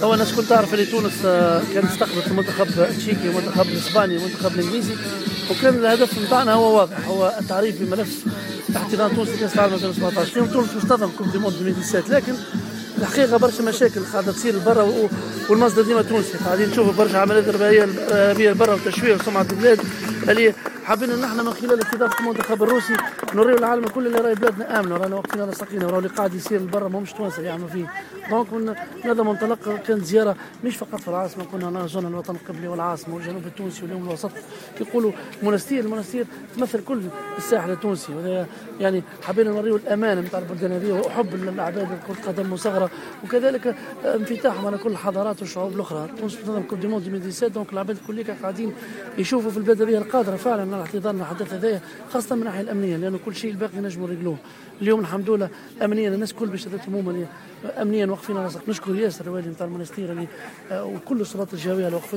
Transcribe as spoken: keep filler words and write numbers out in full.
طبعا الناس الكل تعرف اللي تونس آه، كانت استقبلت المنتخب التشيكي والمنتخب الاسباني والمنتخب الانجليزي، وكان الهدف نتاعنا هو واضح، هو التعريف بملف احتضان تونس لكاس العالم ألفين وسبعطاش. اليوم تونس باش تنظم coupe du monde ألفين وسبعطاش، لكن الحقيقة برشا مشاكل قاعدة تصير برا، والمصدر ديما تونسي. قاعدين نشوفوا برشا عمليات ارهابية برا وتشويه سمعه البلاد، اللي حابين نحن من خلال استضافة المنتخب الروسي نوريو العالم الكل اللي راهي بلادنا امنه، رانا واقفين على ساقينا، وراهو اللي قاعد يصير برا ماهمش توانسة اللي يعملوا فيه. donc من هذا منطلق كانت زيارة مش فقط في العاصمه، كنا زرنا الوطن القبلي والعاصمه والجنوب التونسي واليوم الوسط. يقولوا منستير، المنستير تمثل كل الساحل التونسي، يعني حبينا نوريو الامان نتاع البلدان هذه وحب العباد لكرة القدم وصغره، وكذلك انفتاحهم على كل الحضارات والشعوب الاخرى. تونس تنظم coupe du monde ألفين وسبعطاش، donc العباد الكل قاعدين يشوفوا في البلاد هذه القادره فعلا على احتضان الحدث هذايا، خاصة من الناحية الامنيه، لانه كل شيء الباقي نجموا نريقلوه. اليوم الحمد لله امنيا الناس الكل بشهادتهم هما امنيا واقفين على. نشكر ياسر الوالي نتاع المنستير اللي آه، وكل السلطات الجهوية اللي وقفت.